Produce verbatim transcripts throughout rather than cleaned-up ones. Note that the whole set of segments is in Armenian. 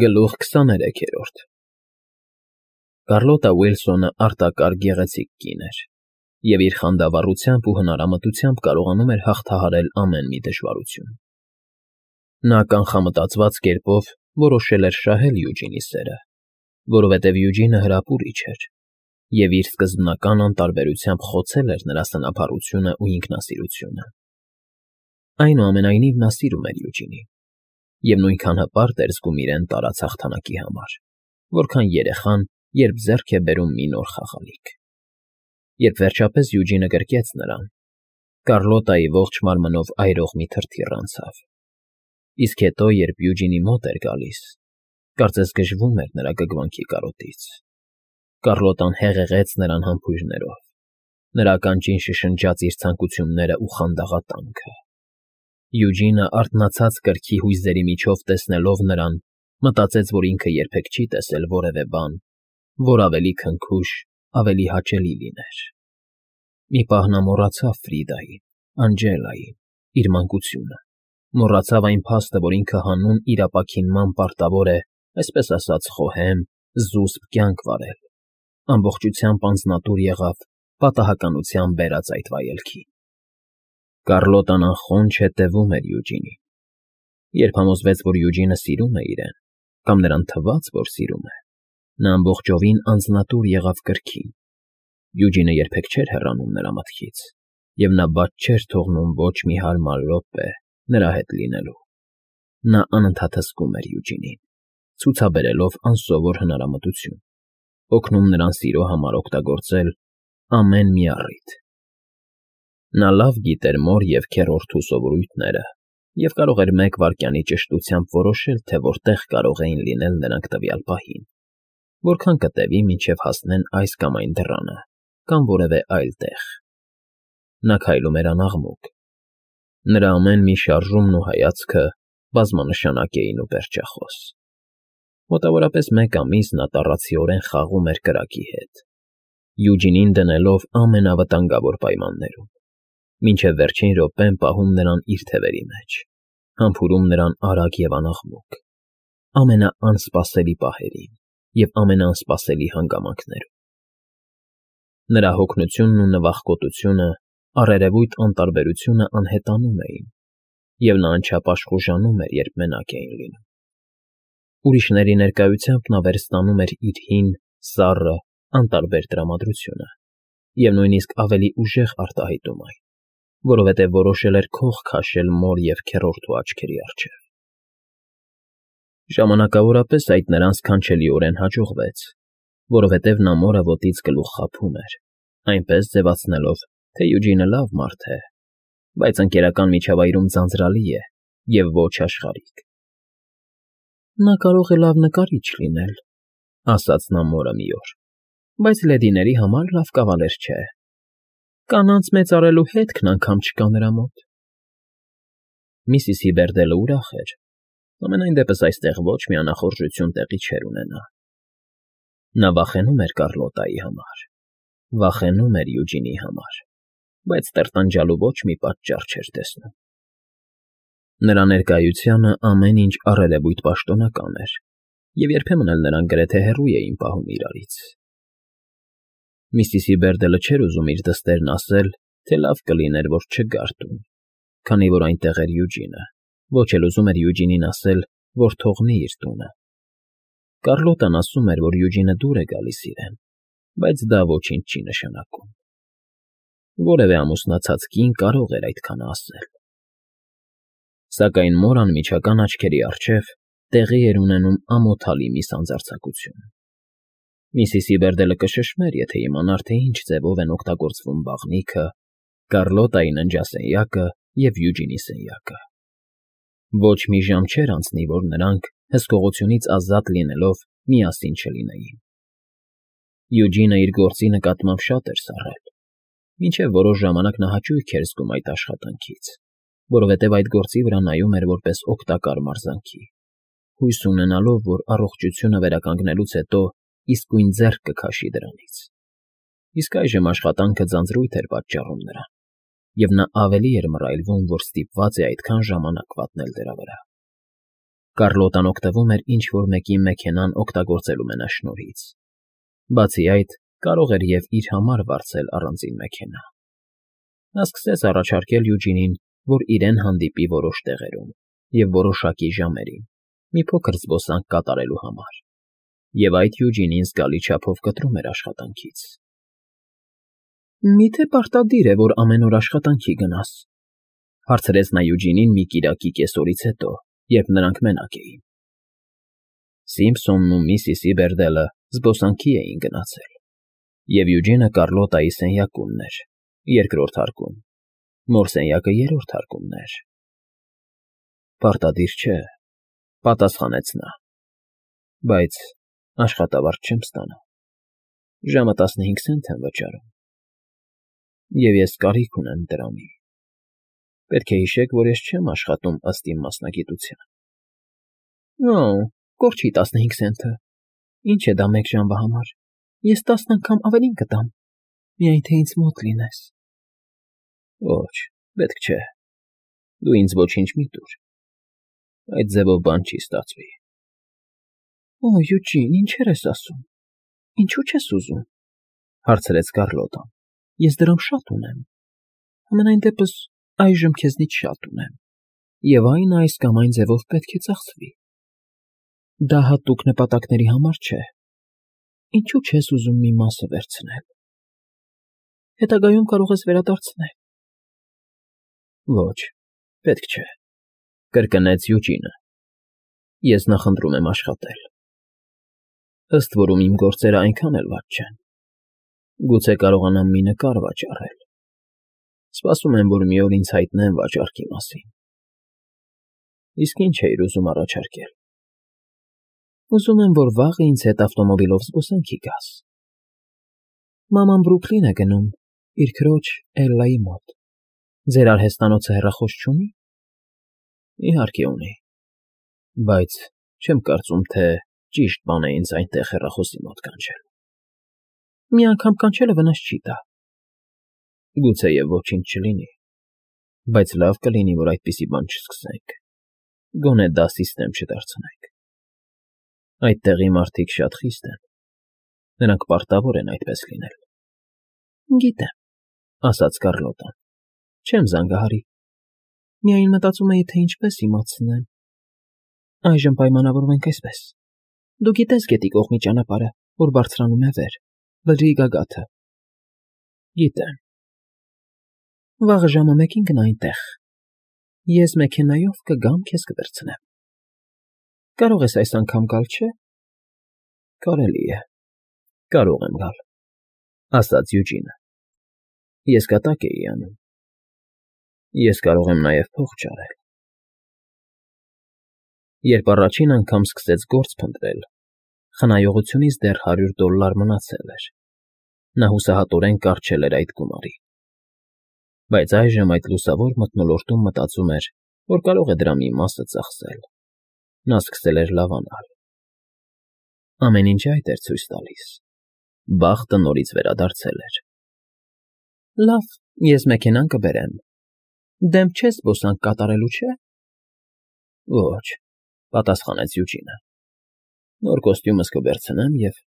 Գլուխ քսաներեքերորդ Կառլոտա Ուիլսոնը արտակարգ գեղեցիկ կին էր և իր խանդավառությամբ ու հնարամտությամբ կարողանում էր հաղթահարել ամեն մի դժվարություն։ Նա կանխամտածված կերպով որոշել էր շահել Յուջինի սերը, որովհետև Յուջինը հրապուրիչ էր և իր սկզբնական անտարբերությամբ խոցել էր նրա սնափառությունն ու ինքնասիրությունը։ Այնուամենայնիվ նա սիրում էր Յուջինին և նույնքան հպարտ էր զգում իրեն տարած հաղթանակի համար, որքան երեխան, երբ ձեռք է բերում մի նոր խաղալիք։ Երբ վերջապես Յուջինը գրկեց նրան, Կառլոտայի ողջ մարմնով այրող մի թրթիռ անցավ, իսկ հետո, երբ Յուջինի մոտ էր գալիս, կարծես գժվում էր նրա գգվանքի կարոտից։ Կառլոտան հեղեղեց նրան համբույրներով, նրա ականջին շշնջաց իր ցանկություններն ու խանդաղատանքը։ Յուջինը արթնացած կրքի հույզերի միջով տեսնելով նրան, մտածեց, որ ինքը երբեք չի տեսել որևէ բան, որ ավելի քնքուշ, ավելի հաճելի լիներ։ Մի պահ նա մոռացավ Ֆրիդային, Անջելային, իր մանկությունը, մոռացավ այն փաստը, որ ինքը հանուն իր ապաքինման պարտավոր է, այսպես ասած, խոհեմ, զուսպ կյանք վարել, ամբողջությամբ անձնատուր եղավ պատահականության բերած այդ վայելքին։ Կառլոտան անխոնջ հետևում էր Յուջինին։ Երբ համոզվեց, որ Յուջինը սիրում է իրեն, կամ նրան թվաց, որ սիրում է, նա ամբողջովին անձնատուր եղավ կրքին։ Յուջինը երբեք չէր հեռանում նրա մտքից, և նա բաց չէր թողնում ոչ մի հարմար րոպե նրա հետ լինելու։ Նա անընդհատ հսկում էր Յուջինին, ցուցաբերելով անսովոր հնարամտություն, օգնում նրան սիրո համար օգտագործել ամեն մի առիթ։ Նա լավ գիտեր մոր և քեռորդու սովորույթները և կարող էր մեկ վայրկյանի ճշտությամբ որոշել, թե որտեղ կարող էին լինել նրանք տվյալ պահին, որքան կտևի, մինչև հասնեն այս կամ այն դռանը, կամ որևէ այլ տեղ։ Նա քայլում էր անաղմուկ։ Նրա ամեն մի շարժումն ու հայացքը բազմանշանակ էին ու պերճախոս։ Մոտավորապես մեկ ամիս նա տառացիորեն խաղում էր կրակի հետ, Յուջինին դնելով ամենավտանգավոր պայմաններում, մինչև վերջին րոպեն պահում նրան իր թևերի մեջ, համբուրում նրան արագ և անաղմուկ, ամենաանսպասելի պահերին և ամենաանսպասելի հանգամանքներում։ Նրա հոգնությունն ու նվախկոտությունը, առերևույթ անտարբերությունը անհետանում էին, և նա անչափ աշխուժանում էր, երբ մենակ էին լինում։ Ուրիշների ներկայությամբ նա վերստանում էր իր հին, սառը, անտարբեր տրամադրությունը և նույնիսկ ավելի ուժեղ արտահայտում այն, որովհետև որոշել էր քող քաշել մոր և քեռորդու աչքերի առջև։ Ժամանակավորապես այդ նրան սքանչելիորեն հաջողվեց, որովհետև նա մորը ոտից գլուխ խաբում էր, այնպես ձևացնելով, թե Յուջինը լավ մարդ է, բայց ընկերական միջավայրում ձանձրալի է և ոչ աշխարհիկ։ Նա կարող է լավ նկարիչ լինել, ասաց նա մորը մի օր, բայց լեդիների համար լավ կավալեր չէ։ Կանանց մեծարելու հետքն անգամ չկա նրա մոտ։ Միսիս Հիբերդելը ուրախ էր, համենայն դեպս այստեղ ոչ մի անախորժություն տեղի չէր ունենա։ Նա վախենում էր Կառլոտայի համար, վախենում էր Յուջինի համար, բայց տրտանջալու ոչ մի պատճառ չէր տեսնում։ Նրա ներկայությանը ամեն ինչ առերևույթ պաշտոնական էր, և երբեմն էլ նրանք գրեթե հեռու էին պահում իրարից։ Միսիս Հիբերդելը չէր ուզում իր դստերն ասել, թե լավ կլիներ, որ չգար տուն, քանի որ այնտեղ էր Յուջինը, ոչ էլ ուզում էր Յուջինին ասել, որ թողնի իր տունը։ Կառլոտան ասում էր, որ Յուջինը դուր է գալիս իրեն, բայց դա ոչինչ չի նշանակում։ Որևէ ամուսնացած կին կարող էր այդքանը ասել։ Սակայն մոր անմիջական աչքերի առջև տեղի էր ունենում ամոթալի մի սանձարձակություն։ Միսիս Հիբերդելը կշշմեր, եթե իմանար, թե ինչ ձևով են օգտագործվում բաղնիքը, Կառլոտայի ննջասենյակը և Յուջինի սենյակը։ Ոչ մի ժամ չէր անցնի, որ նրանք, հսկողությունից ազատ լինելով, միասին չլինեին։ Յուջինը իր գործի նկատմամբ շատ էր սառել, մինչև որոշ ժամանակ նա հաճույք էր զգում այդ աշխատանքից, որովհետև այդ գործի վրա նայում էր որպես օգտակար մարզանքի, հույս ունենալով, որ առողջությունը վերականգնելուց հետո իսկույն ձեռք կքաշի դրանից։ Իսկ այժմ աշխատանքը ձանձրույթ էր պատճառում նրան, և նա ավելի էր մռայլվում, որ ստիպված է այդքան ժամանակ վատնել դրա վրա։ Կառլոտան օգտվում էր ինչ֊որ մեկի մեքենան օգտագործելու մենաշնորհից, բացի այդ, կարող էր և իր համար վարձել առանձին մեքենա։ Նա սկսեց առաջարկել Յուջինին, որ իրեն հանդիպի որոշ տեղերում և որոշակի ժամերին մի փոքր զբոսանք կատարելու համար, և այդ Յուջինին զգալի չափով կտրում էր աշխատանքից։ ֊ Մի՞թե պարտադիր է, որ ամեն օր աշխատանքի գնաս,֊ հարցրեց նա Յուջինին մի կիրակի կեսօրից հետո, երբ նրանք մենակ էին։ Սիմփսոնն ու միսիսի Բերդելը զբոսանքի էին գնացել, և Յուջինը Կառլոտայի սենյակումն էր, երկրորդ հարկում, մոր սենյակը երրորդ հարկումն էր։ ֊ Պարտադիր չէ,֊ պատասխանեց նա,֊ բայց աշխատավարձ չեմ ստանա, ժամը տասնհինգ սենտ եմ վճարում, և ես կարիք ունեմ դրամի։ Պետք է հիշեք, որ ես չեմ աշխատում ըստ իմ մասնագիտության։ ֊ Օ՜, կորչի տասնհինգ սենթը, ինչ է դա մեկ ժամվա համար, ես տասն անգամ ավելին կտամ, միայն թե ինձ մոտ լինես։ ֊ Ոչ, պետք չէ, դու ինձ ոչինչ մի տուր, այդ ձևով բան չի ստացվի։ ֊ Օ, Յուջին, ինչեր ես ասում, ինչո՞ւ չես ուզում,֊ հարցրեց Կառլոտան,֊ ես դրամ շատ ունեմ, համենայն դեպս այժմ քեզնից շատ ունեմ, և այն այս կամ այն ձևով պետք է ծախսվի։ Դա հատուկ նպատակների համար չէ, ինչո՞ւ չես ուզում մի մասը վերցնել, հետագայում կարող ես վերադարձնել։ ֊ Ոչ, պետք չէ,֊ կրկնեց Յուջինը,֊ ես նախընտրում եմ աշխատել։ Ըստ որում իմ գործերը այնքան էլ վատ չեն, գուցե կարողանամ մի նկար վաճառել, սպասում եմ, որ մի օր ինձ հայտնեն վաճառքի մասին։ ֊ Իսկ ի՞նչ էիր ուզում առաջարկել։ ֊ Ուզում եմ, որ վաղը ինձ հետ ավտոմոբիլով զբոսանքի գաս։ Մաման Բրուքլին է գնում, իր քրոջ Էլլայի մոտ։ Ձեր արհեստանոցը հեռախոս չունի՞։ ֊ Իհարկե ունի, բայց չեմ կարծում, թե ճիշտ բան է ինձ այնտեղ հեռախոսի մոտ կանչել։ ֊ Մի անգամ կանչելը վնաս չի տա։ ֊ Գուցեև ոչինչ չլինի, բայց լավ կլինի, որ այդպիսի բան չսկսենք, գոնե դա սիստեմ չդարձնենք։ Այդտեղի մարդիկ շատ խիստ են, նրանք պարտավոր են այդպես լինել։ ֊ Գիտեմ,֊ ասաց Կառլոտան,֊ չեմ զանգահարի, միայն մտածում էի, թե ինչպես իմացնեմ։ Այժմ պայմանավորվենք այսպես. դու գիտես գետի կողմի ճանապարհը, որ բարձրանում է վեր, Բլրի գագաթը։ ֊ Գիտեմ։ ֊ Վաղը ժամը մեկին գնա այնտեղ, ես մեքենայով կգամ, քեզ կվերցնեմ։ Կարող ես այս անգամ գալ, չէ՞։ ֊ Կարելի է, կարող եմ գալ,֊ ասաց Յուջինը։ Ես կատակ էի անում։ Ես կարող եմ նաև փող չարել։ Երբ առաջին անգամ սկսեց գործ փնտրել, խնայողությունից դեռ հարյուր դոլլար մնացել էր, նա հուսահատորեն կառչել էր այդ գումարի։ Բայց այժմ այդ լուսավոր մթնոլորտում մտածում էր, որ կարող է դրա մի մասը ծախսել։ Նա սկսել էր լավանալ։ Ամեն ինչ այդ էր ցույց տալիս. բախտը նորից վերադարձել էր։ ֊ Լավ, ես մեքենան կբերեմ, դեմ չես զբոսանք կատարելու, չէ՞։ ֊ Ոչ,֊ պատասխանեց Յուջինը։ Նոր կոստյումս կվերցնեմ և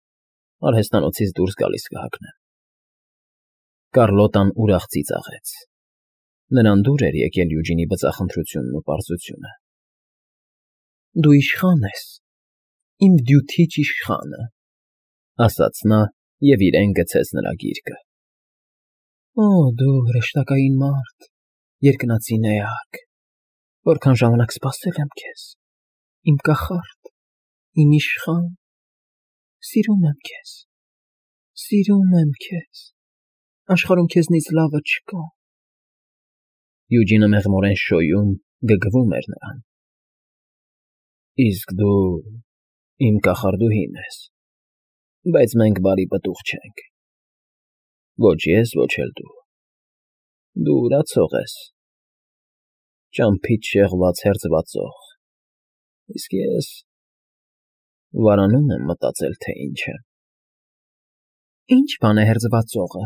արհեստանոցից դուրս գալիս կհագնեմ։ Կառլոտան ուրախ ծիծաղեց։ Նրան դուր էր եկել Յուջինի բծախնդրությունն ու պարզությունը։ ֊ Դու իշխան ես, իմ դյութիչ իշխանը,֊ ասաց նա և իրեն գցեց նրա գիրկը։ ֊ Օ, դու հրեշտակային մարդ, երկնածին էակ, որքան ժամանակ սպասել եմ քեզ, իմ կախարդ, իմ իշխան, սիրում եմ քեզ, սիրում եմ քեզ, աշխարհում քեզնից լավը չկա։ Յուջինը մեղմորեն շոյում, գգվում էր նրան։ ֊ Իսկ դու իմ կախարդուհին ես, բայց մենք բարի պտուղ չենք, ոչ ես, ոչ էլ դու, դու ուրացող ես, ճամփից շեղված հերձվածող, իսկ ես… վարանում եմ մտածել, թե ինչ եմ։ ֊ Ի՞նչ բան է հերձվածողը,֊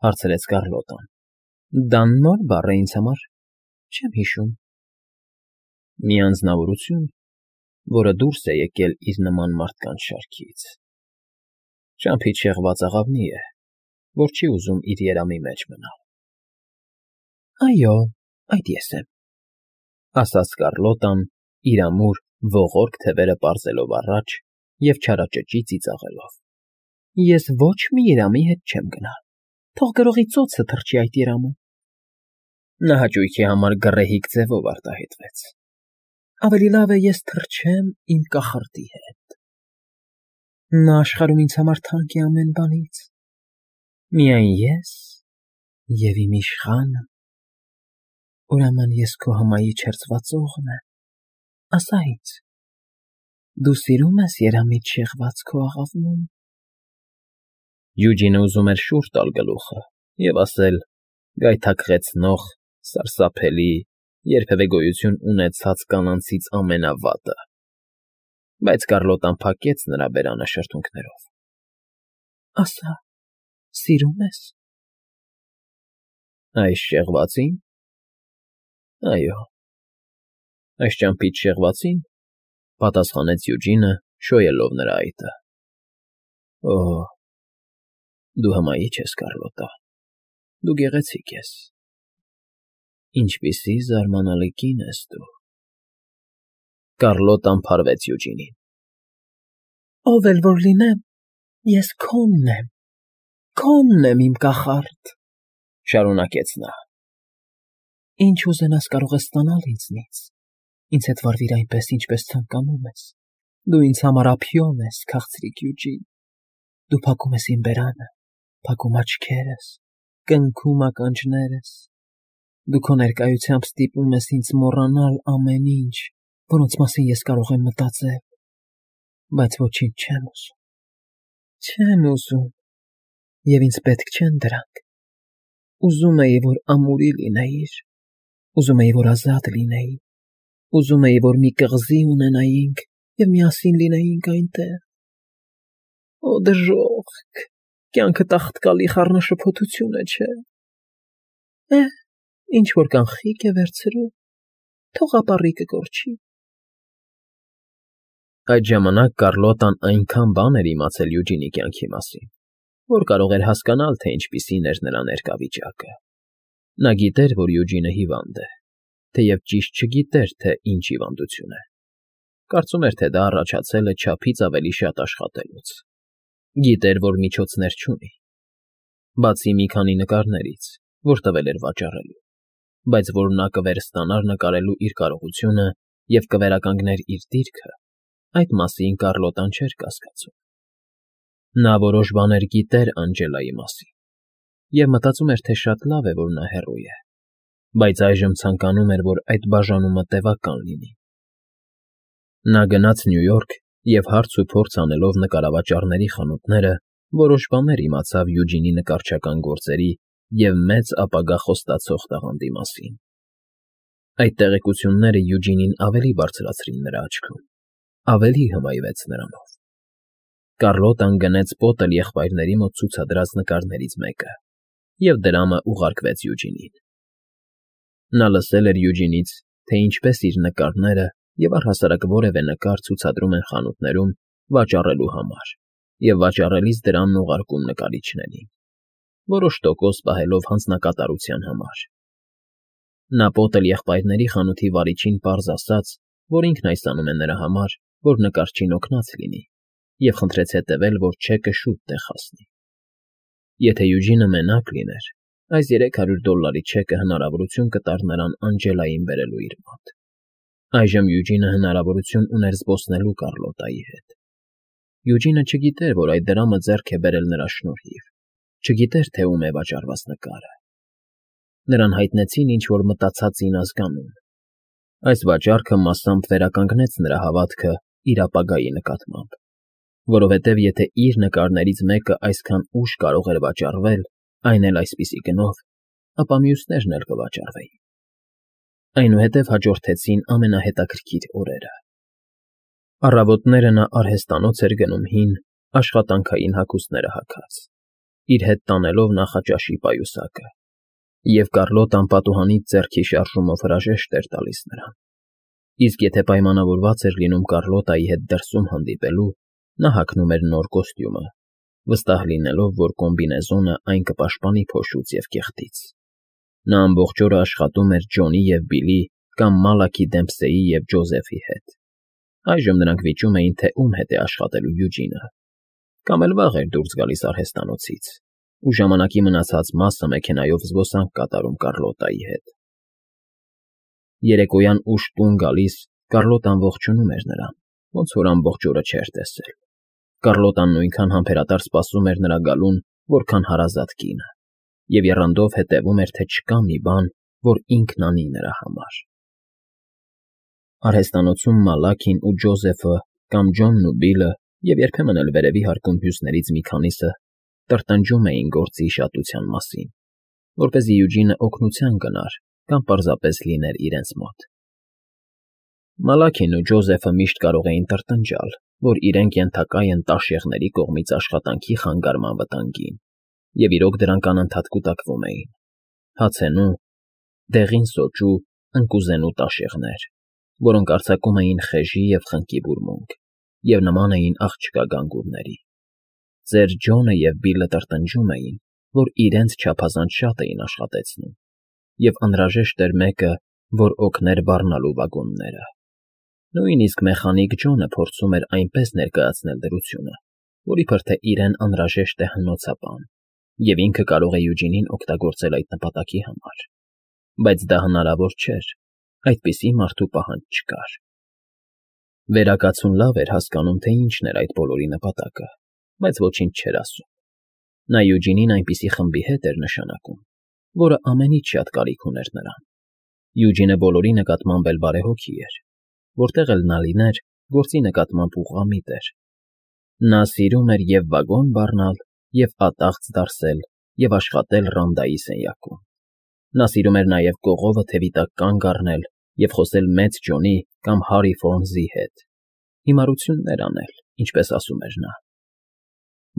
հարցրեց Կառլոտան։ ֊ Դա նոր բառ է ինձ համար, չեմ հիշում։ ֊ Մի անձնավորություն, որը դուրս է եկել իր նման մարդկանց շարքից։ Ճամփից շեղված աղավնի է, որ չի ուզում իր երամի մեջ մնալ։ Այո, այդ ես եմ, ասաց Կառլոտան, իր ամուր, ողորկ թևերը պարզելով առաջ և չարաճճի ծիծաղելով։ Ես ոչ մի երամի հետ չեմ գնալ, թող գրողի ծոցը թռչի այդ երամում։ Նա հաճույքի համար գռեհիկ ձևով արտահայտվեց։ Ավելի լավ է ես թռչեմ իմ կախարդի հետ։ Նա աշխարհում ինձ համար թանկ է ամեն բանից։ Միայն ես և իմ իշխանը։ Ուրեմն ես քո հմայի չերծված օղն եմ, ասա ինձ, դու սիրում ես երամից շեղված քո աղավնուն։ Յուջինը ուզում էր շուռ տալ գլուխը և ասել գայթակղեցնող, սարսափելի, երբևէ գոյություն ունեցած կանանցից ամենավատը, բայց Կառլոտան փակեց նրա բերանը շրթունքներով։ Ասա, սիրում ես։ Այս շեղվածի՞ն։ Այո, այս ճամփից շեղվածի՞ն, պատասխանեց Յուջինը, շոյելով նրա այտը։ Օ, դու հմայիչ ես, Կառլոտա, դու գեղեցիկ ես։ Ինչպիսի զարմանալի կին ես դու։ Կառլոտան փարվեց Յուջինին։ Ով էլ որ լինեմ, ես քոնն եմ, քոնն եմ իմ կախարդ, շարունակեց նա։ Ինչ ուզենաս կարող ես ստանալ ինձնից, ինձ հետ վարվիր այնպես, ինչպես ցանկանում ես։ Դու ինձ համար ափիոն ես, քաղցրիկ Յուջին։ Դու փակում ես իմ բերանը, փակում աչքերս, կնքում ականջներս։ Դու քո ներկայությամբ ստիպում ես ինձ մոռանալ ամեն ինչ, որոնց մասին ես կարող եմ մտածել, բայց ոչինչ չեմ ուզում։ Չեմ ուզում, և ինձ պետք չեն դրանք։ Ուզում էի, որ ամուրի լինեիր, ուզում էի, որ ազատ լինեի, ուզում էի, որ մի կղզի ունենայինք և միասին լինեինք այնտեղ։ Օ, դժոխք, կյանքը տաղտկալի խառնաշփոթություն է, չէ՞։ Է, ինչ որ կանխիկ է վերցրու, թող ապառիկը կորչի։ Այդ ժամանակ Կառլոտան այնքան բան էր իմացել Յուջինի կյանքի մասին, որ կարող էր հասկանալ, թե ինչպիսին էր նրա ներկա վիճակը։ Նա գիտեր, որ Յուջինը հիվանդ է, թեև ճիշտ չգիտեր, թե ինչ հիվանդություն է։ Կարծում էր, թե դա առաջացել է չափից ավելի շատ աշխատելուց։ Գիտեր, որ միջոցներ չունի։ Բացի մի քանի նկարներից, որ տվել էր վաճառելու, բայց որ նա կվերստանար նկարելու իր կարողությունը և կվերականգներ իր դիրքը, այդ մասին Կառլոտան չէր կասկածում։ Նա որոշ բաներ գիտեր Անջելայի մասին և մտածում էր, թե շատ լավ է, որ նա հեռու է, բայց այժմ ցանկանում էր, որ այդ բաժանումը տևական լինի։ Նա գնաց Նյու Յորք և հարց ու փորձ անելով նկարավաճառների խանութները, որոշ բաներ իմացավ Յուջինի նկարչական գործերի և մեծ ապագա խոստացող տաղանդի մասին։ Այդ տեղեկությունները Յուջինին ավելի բարձրացրին նրա աչքում, ավելի հմայվեց նրանով։ Կառլոտան գնեց Պոտել եղբայրների մոտ ցուցադրած նկարներից մեկը, և դրամը ուղարկվեց Յուջինին։ Նա լսել էր Յուջինից, թե ինչպես իր նկարները և առհասարակ որևէ նկար ցուցադրում են խանութներում վաճառելու համար և վաճառելիս դրանն ուղարկում նկարիչներին, որոշ տոկոս պահելով հանձնակատարության համար։ Նա Պոտել եղբայրների խանութի վարիչին պարզ ասաց, որ ինքն այս անում է նրա համար, որ նկարչին օգնած լինի, և խնդրեց հետևել, որ չեկը շուտ տեղ հասնի։ Եթե Յուջինը մենակ լիներ, այս երեք հարյուր դոլլարի չեկը հնարավորություն կտար նրան Անջելային բերելու իր մոտ։ Այժմ Յուջինը հնարավորություն ուներ զբոսնելու Կառլոտայի հետ։ Յուջինը չգիտեր, որ այդ դրամը ձեռք է բերել նրա շնորհիվ, չգիտեր, թե ում է վաճառված նկարը։ Նրան հայտնեցին ինչ-որ մտածածին ազգանուն։ Այս վաճառքը մասամբ վերականգնեց նրա հավատքը իր ապագայի նկատմամբ, որովհետև եթե իր նկարներից մեկը այսքան ուշ կարող էր վաճառվել, այն էլ այսպիսի գնով, ապա մյուսներն էլ կվաճառվեին։ Այնուհետև հաջորդեցին ամենահետաքրքիր օրերը։ Առավոտները նա արհեստանոց էր գնում հին, աշխատանքային հագուստները հագած, իր հետ տանելով նախաճաշի պայուսակը, և Կառլոտան պատուհանից ձեռքի շարժումով հրաժեշտ էր տալիս նրան։ Իսկ եթե պայմանավորված էր լինում Կառլոտայի հետ դրսում հանդիպելու, նա հագնում էր նոր կոստյումը, վստահ լինելով, որ կոմբինեզոնը այն կպաշտպանի փոշուց և կեղտից։ Նա ամբողջ օրը աշխատում էր Ջոնի և Բիլի կամ Մալաքի Դեմփսեի և Ջոզեֆի հետ։ Այժմ նրանք վիճում էին, թե ում հետ է աշխատելու Յուջինը, կամ էլ վաղ էր դուրս գալիս արհեստանոցից, ու ժամանակի մնացած մասը մեքենայով զբոսանք կատարում Կառլոտայի հետ։ Երեկոյան ուշ տուն գալիս Կառլոտան ողջունում էր նրան, ոնց որ ամբողջ օրը չէր տեսել։ Կառլոտան նույնքան համբերատար սպասում էր նրա գալուն, որքան հարազատ կինը, և եռանդով հետևում էր, թե չկա մի բան, որ ինքն անի նրա համար։ Արհեստանոցում Մալաքին ու Ջոզեֆը կամ Ջոնն ու Բիլը և երբեմն էլ վերևի հարկում հյուսներից մի քանիսը տրտնջում էին գործի շատության մասին, որպեսզի Յուջինը օգնության գնար կամ պարզապես լիներ իրենց մոտ։ Մալաքին ու Ջոզեֆը միշտ կարող էին տրտնջալ, որ իրենք ենթակա են տաշեղների կողմից աշխատանքի խանգարման վտանգին, և իրոք դրանք անընդհատ կուտակվում էին. հացենու, դեղին սոճու, ընկուզենու տաշեղներ, որոնք արձակում էին խեժի և խնկի բուրմունք և նման էին աղջկա գանգուրների։ Ծեր Ջոնը և Բիլլը տրտնջում էին, որ իրենց չափազանց շատ էին աշխատեցնում, և անհրաժեշտ էր մեկը, որ օգներ բառնալու վագոնները։ Նույնիսկ մեխանիկ Ջոնը փորձում էր այնպես ներկայացնել դրությունը, որ իբր թե իրեն անհրաժեշտ է հնոցապան, և ինքը կարող է Յուջինին օգտագործել այդ նպատակի համար։ Բայց դա հնարավոր չէր, այդպիսի մարդու պահանջ չկար։ Վերակացուն լավ էր հասկանում, թե ինչն էր այդ բոլորի նպատակը, բայց ոչինչ չէր ասում։ Նա Յուջինին այնպիսի խմբի հետ էր նշանակում, որը ամենից շատ կարիք ուներ նրան։ Յուջինը բոլորի նկատմամբ էլ բարեհոգի էր, որտեղ էլ նա լիներ, գործի նկատմամբ ուղղամիտ էր։ Նա սիրում էր և վագոն բառնալ, և ատաղձ դարսել, և աշխատել Ռանդայի սենյակում։ Նա սիրում էր նաև կողովը թևի տակ կանգ առնել և խոսել մեծ Ջոնի կամ Հարի Ֆորնզի հետ, հիմարություններ անել, ինչպես ասում էր նա։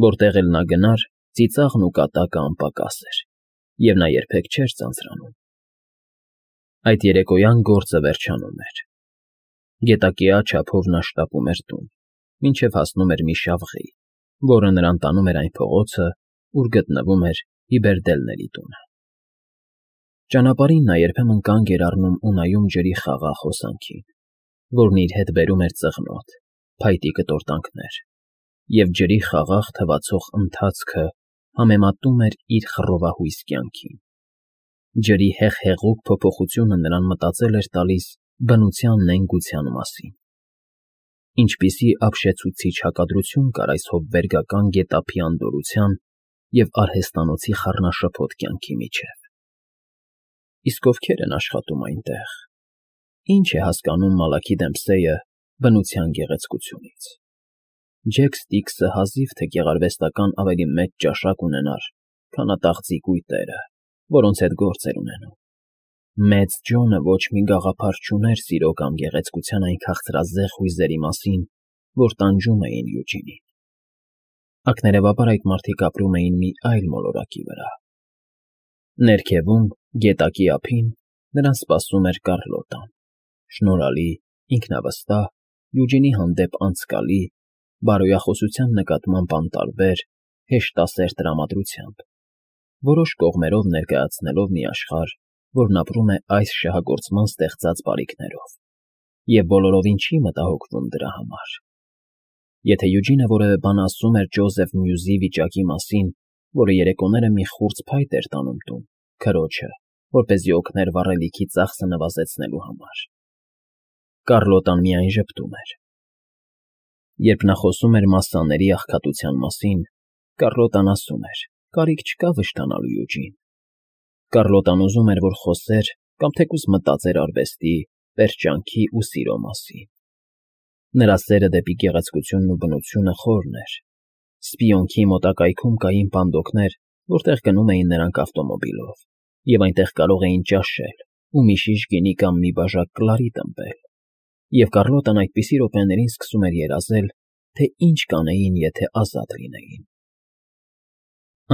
Որտեղ էլ նա գնար, ծիծաղն ու կատակը անպակաս էր, և նա երբեք չէր ձանձրանում։ Այդ երեկոյան գործը վերջանում էր։ Գետակի չափով նա շտապում էր տուն, մինչև հասնում էր մի շավղի, որը նրան տանում էր այն փողոցը, ուր գտնվում էր հիբերդելների տունը։ Ճանապարհին նա երբեմն կանգ էր առնում ու նայում ջրի խաղաղ հոսանքին, որն իր հետ բերում էր ծղնոտ, փայտի կտորտանքներ, և ջրի խաղաղ թվացող ընթացքը համեմատում էր իր խռովահույս կյանքին։ Ջրի հեղհեղուկ փոփոխությունը նրան մտածել էր տալիս բնության նենգության մասին։ Ինչպիսի ապշեցուցիչ հակադրություն կար այս հովվերգական գետափի անդորրության և արհեստանոցի խառնաշփոթ կյանքի միջև։ Իսկ ովքեր են աշխատում այնտեղ, ինչ է հասկանում Մալաքի Դեմփսեյը բնության գեղեցկությունից։ Ջեք Ստիքսը հազիվ թե գեղարվեստական ավելի մեծ ճաշակ ունենար, քան ատաղձի կույտերը, որոնց հետ գործ էր ունենում։ Մեծ Ջոնը ոչ մի գաղափար չուներ սիրո կամ գեղեցկության այն քաղցրազեղ հույզերի մասին, որ տանջում էին Յուջինին։ Ակներևաբար այդ մարդիկ ապրում էին մի այլ մոլորակի վրա։ Ներքևում, գետակի ափին, նրան սպասում էր Կառլոտան, շնորհալի, ինքնավստահ, Յուջինի հանդեպ անցկալի, բարոյախոսության նկատմամբ անտարբեր, հեշտասեր տրամադրությամբ, որոշ կողմերով ներկայացնելով մի աշխարհ, որն ապրում է այս շահագործման ստեղծած բարիքներով, և բոլորովին չի մտահոգվում դրա համար։ Եթե Յուջինը որևէ բան ասում էր Ջոզեֆ Մյուզի վիճակի մասին, որը երեկոները մի խուրձ փայտ էր տանում տուն, քրոջը, որպեսզի օգներ վառելիքի ծախսը նվազեցնելու համար, Կառլոտան միայն ժպտում էր։ Երբ նա խոսում էր մասսաների աղքատության մասին, Կառլոտան ասում էր. «Կարիք չկա վշտանալու, Յուջին»։ Կառլոտան ուզում էր, որ խոսեր կամ թեկուզ մտածեր արվեստի, պերճանքի ու սիրո մասին։ Նրա սերը դեպի գեղեցկությունն ու բնությունը խորն էր։ Սպիոնքի մոտակայքում կային պանդոկներ, որտեղ գնում էին նրանք ավտոմոբիլով, և այնտեղ կարող էին ճաշել ու մի շիշ գինի կամ մի բաժակ կլարիտ ըմպել, և Կառլոտան այդպիսի րոպեներին սկսում էր երազել, թե ինչ կանեին, եթե ազատ լինեին։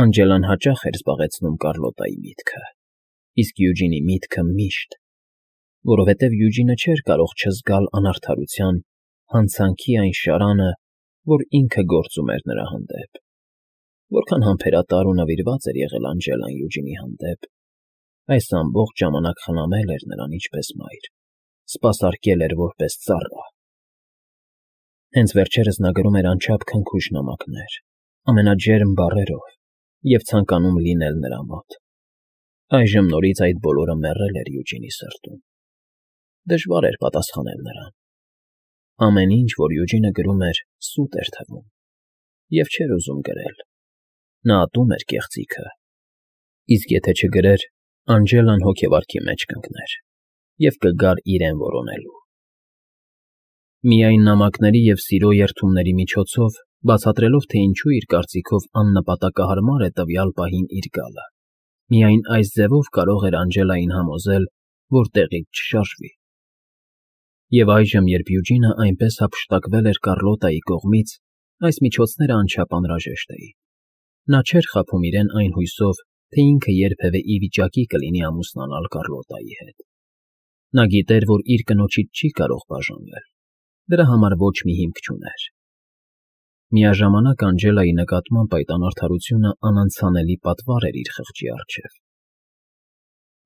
Անջելան հաճախ էր զբաղեցնում Կառլոտայի միտքը, իսկ Յուջինի միտքը՝ միշտ։ որովհետև Յուջինը չէր կարող չզգալ անարդարության, հանցանքի այն շարանը, որ ինքը գործում էր նրա հանդեպ։ Որքան համբերատար ու նվիրված էր եղել Անջելան Յուջինի հանդեպ, այս ամբողջ ժամանակ խնամել էր նրան ինչպես մայր, սպասարկել էր որպես ծառա։ Հենց վերջերս նա գրում էր անչափ քնքուշ նամակներ, ամենաջերմ բառերով, և ցանկանում լինել նրա մոտ։ Այժմ նորից այդ բոլորը մեռել էր Յուջինի սրտում։ Դժվար էր պատասխանել նրան։ Ամեն ինչ, որ Յուջինը գրում էր, սուտ էր թվում, և չէր ուզում գրել։ Նա ատում էր կեղծիքը, իսկ եթե չգրեր, Անջելան հոգեվարքի մեջ կընկներ և կգար իրեն որոնելու։ Միայն նամակների և սիրո երդումների միջոցով, բացատրելով, թե ինչու իր կարծիքով աննպատակահարմար է տվյալ պահին իր գալը, միայն այս ձևով կարող էր Անջելային համոզել, որ տեղից չշարժվի։ Եվ այժմ, երբ Յուջինը այնպես հափշտակվել էր Կառլոտայի կողմից, այս միջոցները անչափ անհրաժեշտ էին։ Նա չէր խաբում իրեն այն հույսով, թե ինքը երբևէ ի վիճակի կլինի ամուսնանալ Կառլոտայի հետ։ Նա գիտեր, որ իր կնոջից չի կարող բաժանվել, դրա համար ոչ մի հիմք չուներ։ Միաժամանակ Անջելայի նկատմամբ այդ անարդարությունը անանցանելի պատվար էր իր խղճի առջև։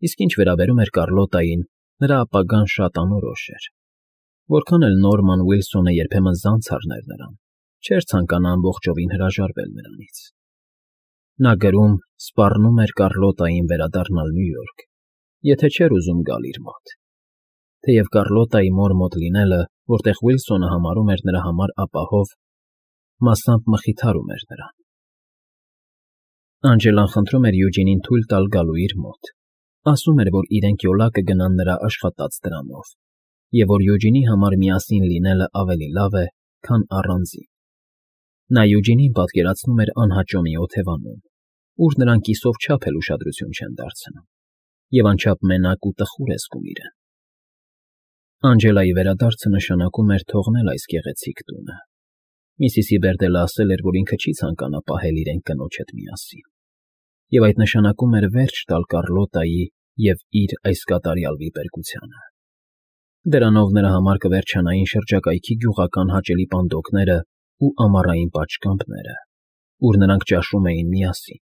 Իսկ ինչ վերաբերում էր Կառլոտային, նրա ապագան շատ անորոշ էր։ Որքան էլ Նորման Ուիլսոնը երբեմն զանց առներ նրան, չէր ցանկանա ամբողջովին հրաժարվել նրանից։ Նա գրում, սպառնում էր Կառլոտային վերադառնալ Նյու Յորք, եթե չէր ուզում գալ իր մոտ։ Թեև Կառլոտայի մոր մոտ լինելը, որտեղ Ուիլսոնը համարում էր նրա համար ապահով, մասամբ մխիթարում էր նրան։ Անջելան խնդրում էր Յուջինին թույլ տալ գալու իր մոտ։ Ասում էր, որ իրենք յոլա կգնան նրա աշխատած դրամով, և որ Յուջինի համար միասին լինելը ավելի լավ է, քան առանձին։ Նա Յուջինին պատկերացնում էր անհաճո մի օթևանում, ուր նրան կիսով չափ էլ ուշադրություն չեն դարձնում, և անչափ մենակ ու տխուր է զգում իրեն։ Անջելայի վերադարձը նշանակում էր թողնել այս գեղեցիկ տունը։ Միսիսի Բերդելը ասել էր, որ ինքը չի ցանկանա պահել իրեն կնոջ հետ միասին, և այդ նշանակում էր վերջ տալ Կառլոտայի և իր այս կատարյալ վիպերգությանը։ Դրանով նրա համար կվերջանային շրջակայքի գյուղական հաճելի պանդոկները ու ամառային պատշգամբները, ուր նրանք ճաշում էին միասին,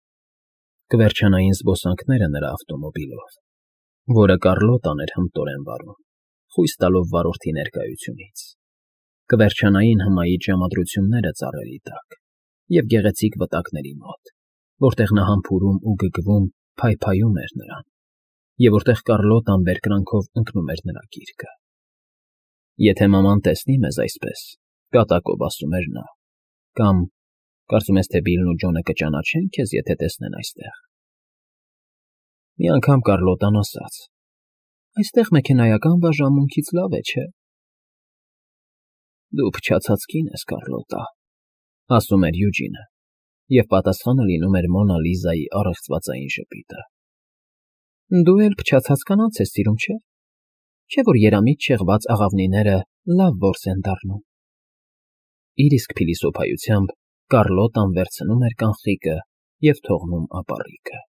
կվերջանային զբոսանքները նրա ավտոմոբիլով, որը Կառլոտան էր հմտորեն վարում, խույս տալով վարորդի ներկայությունից, կվերջանային հմայիչ ժամադրությունները ծառերի տակ և գեղեցիկ վտակների մոտ, որտեղ նա համբուրում ու գգվում, փայփայում էր նրան, և որտեղ Կառլոտան բերկրանքով ընկնում էր նրա գիրկը։ Եթե մաման տեսնի մեզ այսպես, կատակով ասում էր նա, կամ կարծում ես, թե Բիլն ու Ջոնը կճանաչեն քեզ, եթե տեսնեն այստեղ։ Մի անգամ Կառլոտան ասաց. «Այստեղ մեքենայական բաժանմունքից լավ է, չէ՞»։ Դու փչացած կին ես, Կառլոտա, ասում էր Յուջինը, և պատասխանը լինում էր Մոնա Լիզայի առեղծվածային ժպիտը։ Դու էլ փչացած կանանց ես սիրում, չէ՞։ Չէ՞ որ երամիտ շեղված աղավնիները լավ որս են դառնում։ Իր իսկ փիլիսոփայությամբ Կառլոտան վերցնում էր կանխիկը և թողնում ապառիկը։